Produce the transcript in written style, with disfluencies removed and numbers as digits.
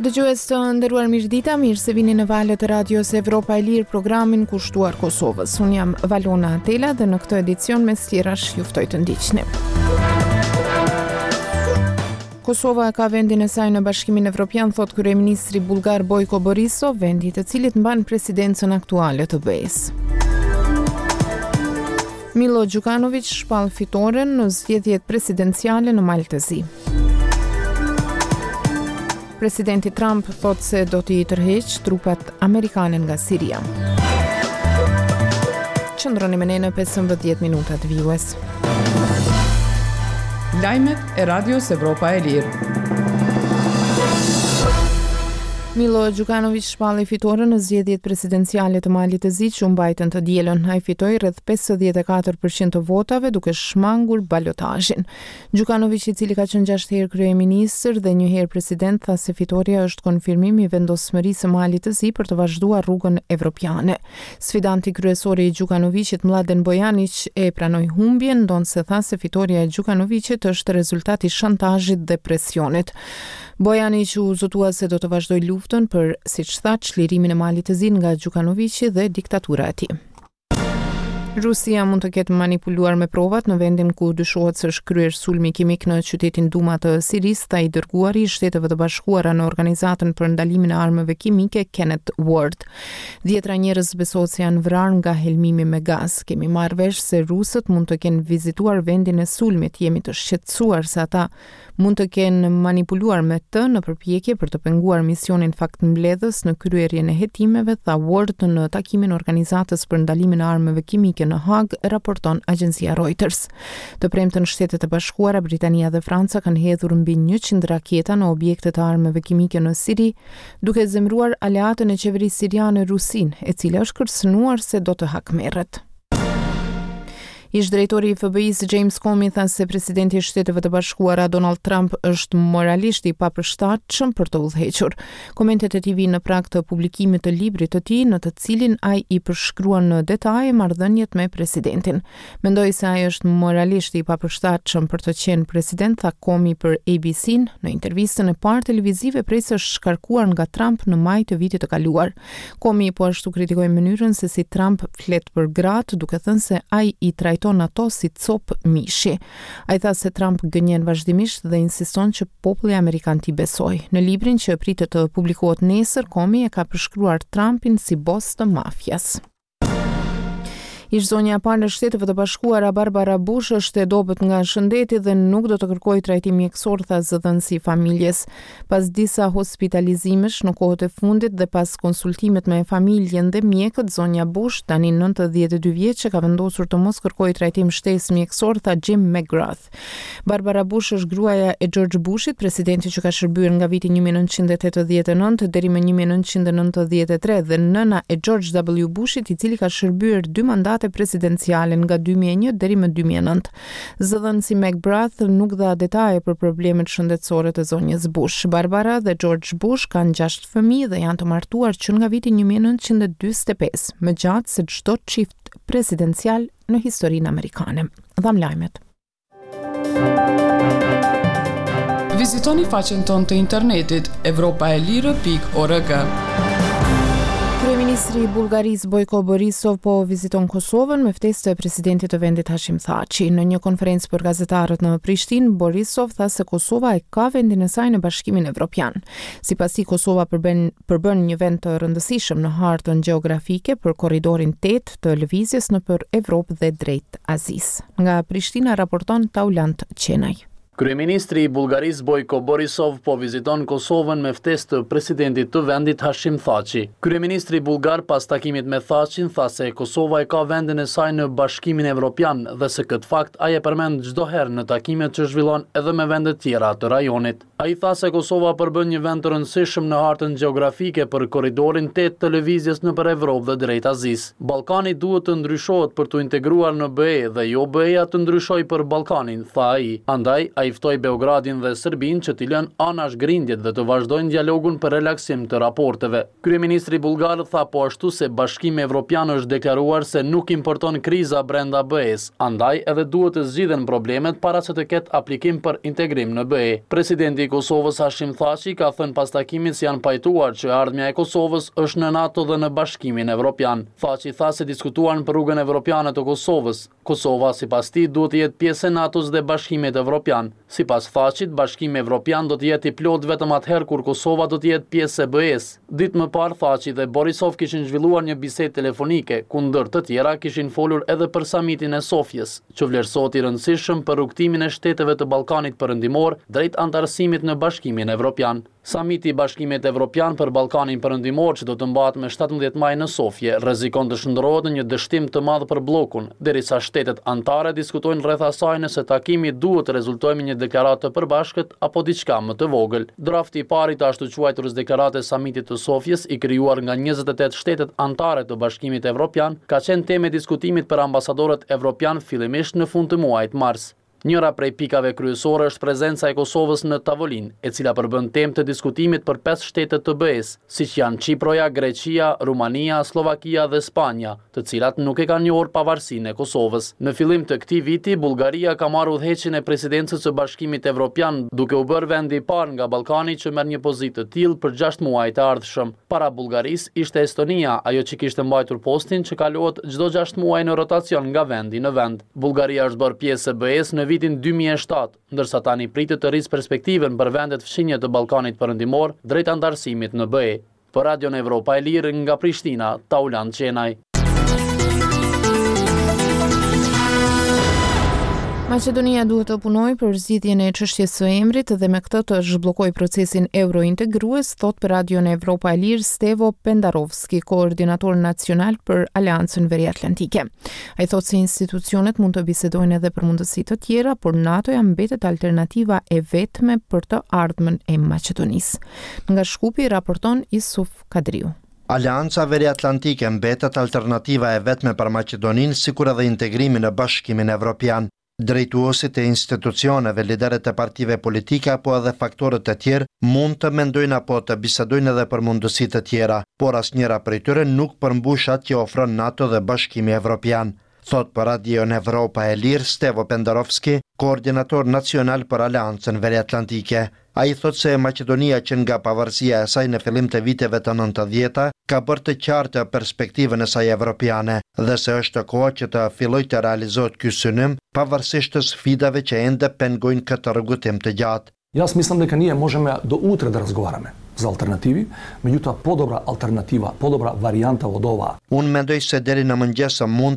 Dëgjues të nderuar mirëdita, mirë se vini në valët e Radios Evropa e Lirë programin kushtuar Kosovës. Unë jam Valona Atela dhe në këtë edicion mes tjerash ju ftoj të ndiqni. Kosova e ka vendin e saj në Bashkimin Evropian, thotë kryeministri bullgar Bojko Borisov, vendi i të cilit mban presidencën aktuale të BE-së. Milo Gjukanoviq shpall fitoren në zgjedhjet presidenciale në Mal të Zi. Presidenti Trump thotë se do t'i tërheqë trupat amerikane nga Siria. Qëndroni me ne në 15 minutat vijues. Lajmet e Radios Evropa e Lirë. Milo Gjukanoviq shpalli fitoren në zgjedhjet presidenciale të Malit të Zi që u mbajtën të dielën. Ai fitoi rreth 54% të votave duke shmangur balotazhin. Gjukanoviq, i cili ka qenë gjashtë herë kryeministër dhe një herë president, tha se fitorja është konfirmim i vendosmërisë së Malit të Zi për të vazhduar rrugën evropiane. Sfidanti kryesor i Gjukanoviqit, Mladen Bojaniq, e pranoi humbjen, ndonëse tha se fitorja e Gjukanoviqit është rezultat i shantazhit dhe presionit. Bojaniq u zotua se do të vazhdojë luftën për, siç tha, çlirimin e Malit të Zi nga Gjukanoviqi dhe diktatura e tij. Rusia mund të ketë manipuluar me provat në vendin ku dyshohet se është kryer sulmi kimik në qytetin Duma të Sirisë, tha i dërguari i Shteteve të Bashkuara në Organizatën për Ndalimin e Armëve Kimike, Kenneth Ward. Dhjetra njerëz besohet se janë vrarë nga helmimi me gaz. Kemi marrë vesh se rusët mund të kenë vizituar vendin e sulmit, jemi të shqetësuar se ata mund të kenë manipuluar me të në përpjekje për të penguar misionin faktmbledhës në kryerjen e hetimeve, tha Ward në takimin e Organizatës për Ndalimin e Armëve Kimike në Hagë, raporton agjencia Reuters. Të premten Shtetet e Bashkuara, Britania dhe Franca kanë hedhur mbi 100 raketa në objekte të armëve kimike në Siri, duke zemëruar aleaten e qeverisë siriane Rusinë, e cila është kërcënuar se do të hakmerret. Ish-drejtori i FBI-së James Comey tha se presidenti i Shteteve të Bashkuara Donald Trump është moralisht i papërshtatshëm për të udhëhequr. Komentet e tij vijnë në prag të publikimit të librit të tij, në të cilin ai i përshkruan në detaje marrëdhëniet me presidentin. Mendoj se ai është moralisht i papërshtatshëm për të qenë president, tha Comey për ABC-n në intervistën e parë televizive prej se është shkarkuar nga Trump në maj të vitit të kaluar. Comey po ashtu kritikoi mënyrën se si Trump flet për gratë, duke thënë se ai i trajton ato si copë mishi. Ai tha se Trump gënjen vazhdimisht dhe insiston që populli amerikan t'i besojë. Në librin që pritet të publikohet nesër, Comey e ka përshkruar Trumpin si bos të mafias. Ish-zonja e parë e Shteteve të Bashkuara, Barbara Bush, është e dobët nga shëndeti dhe nuk do të kërkojë trajtim mjekësor, tha zëdhënësi i familjes. Pas disa hospitalizimesh në kohët e fundit dhe pas konsultimit me familjen dhe mjekët, zonja Bush, tani 92 vjeçe, ka vendosur të mos kërkojë trajtim shtesë mjekësor, tha Jim McGrath. Barbara Bush është gruaja e George Bushit, presidentit që ka shërbyer nga viti 1989 deri më 1993 dhe nëna e George W. Bushit, i cili ka shërbyer dy mandate presidenciale nga 2001 deri më 2009. Zëdhënësi McGrath nuk dha detaje për problemet shëndetësore të zonjës Bush. Barbara dhe George Bush kanë gjashtë fëmijë dhe janë të martuar që nga viti 1945, më gjatë se çdo çift presidencial në historinë amerikane. Dhamë lajmet. Vizitoni faqen tonë të internetit evropaelire.org. Kryeministri i Bullgarisë Bojko Borisov po viziton Kosovën me ftesë të presidentit të vendit Hashim Thaçi. Në një konferencë për gazetarët në Prishtinë, Borisov tha se Kosova e ka vendin e saj në Bashkimin Evropian. Sipas tij, Kosova përbën përbën një vend të rëndësishëm në hartën gjeografike për korridorin 8 të lëvizjes nëpër Evropë dhe drejt Azisë. Nga Prishtina raporton Taulant Qenaj. Kryeministri i Bullgarisë Bojko Borisov po viziton Kosovën me ftesë të presidentit të vendit Hashim Thaçi. Kryeministri bullgar pas takimit me Thaçin tha se Kosova e ka vendin e saj në Bashkimin Evropian dhe se këtë fakt ai e përmend çdo herë në takimet që zhvillon edhe me vendet tjera të rajonit. Ai tha se Kosova përbën një vend të rëndësishëm në hartën gjeografike për korridorin tetë të lëvizjes nëpër Evropë dhe drejt Azisë. Ballkani duhet të ndryshohet për t'u integruar në BE dhe jo BE-ja të ndryshojë për Ballkanin, tha ai. Andaj, ai Ai ftoi Beogradin dhe Serbinë që t'i lënë anash grindjet dhe të vazhdojnë dialogun për relaksim të raporteve. Kryeministri bullgar tha po ashtu se Bashkimi Evropian është deklaruar se nuk importon kriza brenda BE-së, andaj edhe duhet të zgjidhen problemet para se të ketë aplikim për integrim në BE. Presidenti i Kosovës Hashim Thaçi ka thënë pas takimit se janë pajtuar që e ardhmja e Kosovës është në NATO dhe në Bashkimin Evropian. Thaçi tha se diskutuan për rrugën evropiane të Kosovës. Kosova, sipas tij, duhet të jetë pjesë e NATO-s dhe Bashkimit Evropian. Sipas Thaçit, Bashkimi Evropian do të jetë i plotë vetëm atëherë kur Kosova do të jetë pjesë e BE-së. Ditë më parë, Thaçi dhe Borisov kishin zhvilluar një bisedë telefonike, ku ndër të tjera kishin folur edhe për Samitin e Sofjes, që vlerësohet i rëndësishëm për rrugëtimin e shteteve të Ballkanit Perëndimor drejt anëtarësimit në Bashkimin Evropian. Samiti i Bashkimit Evropian për Ballkanin Perëndimor që do të mbahet me 17 maj në Sofje, rrezikon të shndërrohet në një dështim të madh për bllokun, derisa shtetet anëtare diskutojnë rreth asaj nëse takimi duhet të rezultojë me një deklaratë të përbashkët apo diçka më të vogël. Drafti i parë i të ashtuquajturës deklaratë e Samitit të Sofjes, i krijuar nga 28 shtetet anëtare të Bashkimit Evropian, ka qenë temë e diskutimit për ambasadorët evropianë fillimisht në fund të muajit mars. Njëra prej pikave kryesore është prezenca e Kosovës në tavolinë, e cila përbën temë të diskutimit për pesë shtete të BE-së, siç janë Qiproja, Greqia, Rumania, Sllovakia dhe Spanja, të cilat nuk e kanë njohur pavarësinë e Kosovës. Në fillim të këtij viti, Bullgaria ka marrë udhëheqjen e presidencës së Bashkimit Evropian, duke u bërë vendi i parë nga Ballkani që merr një pozitë të tillë për gjashtë muajt e ardhshëm. Para Bullgarisë ishte Estonia, ajo që kishte mbajtur postin që kalohet çdo gjashtë muaj në rotacion nga vendi në vend. Bullgaria është bërë pjesë e BE-së në vitin 2007, ndërsa tani pritet të rrisë perspektivën për vendet fqinje të Ballkanit Perëndimor drejt anëtarësimit në BE. Për Radion Evropa e Lirë nga Prishtina, Taulant Qenaj. Maqedonia duhet të punojë për zgjidhjen e çështjes së emrit dhe me këtë të zhbllokojë procesin eurointegrues, thotë për Radion Evropa e Lirë Stevo Pendarovski, koordinator nacional për Aleancën Veriatlantike. Ai thotë se institucionet mund të bisedojnë edhe për mundësi të tjera, por NATO-ja mbetet alternativa e vetme për të ardhmen e Maqedonisë. Nga Shkupi raporton Isuf Kadriu. Aleanca Veriatlantike mbetet alternativa e vetme për Maqedoninë, sikur edhe integrimi në Bashkimin Evropian. Drejtuesit e institucioneve, liderët e partive politike apo edhe faktorët e tjerë mund të mendojnë apo të bisedojnë edhe për mundësi të tjera, por asnjëra prej tyre nuk përmbush atë që ofron NATO dhe Bashkimi Evropian, thotë për Radion Evropa e Lirë Stevo Pendarovski, koordinator nacional për Aleancën Veriatlantike. Ai thotë se Maqedonia që nga pavarësia e saj në fillim të viteve të nëntëdhjeta ka bërë të qartë perspektivën e saj evropiane dhe se është koha që të fillojë të realizohet ky synim pavarësisht sfidave që ende pengojnë këtë rrugëtim të gjatë. Јас мислам дека ние можеме до утре да разговараме за алтернативи, меѓутоа подобра алтернатива, подобра варијанта од оваа. Unë mendoj se deri në mëngjes mund.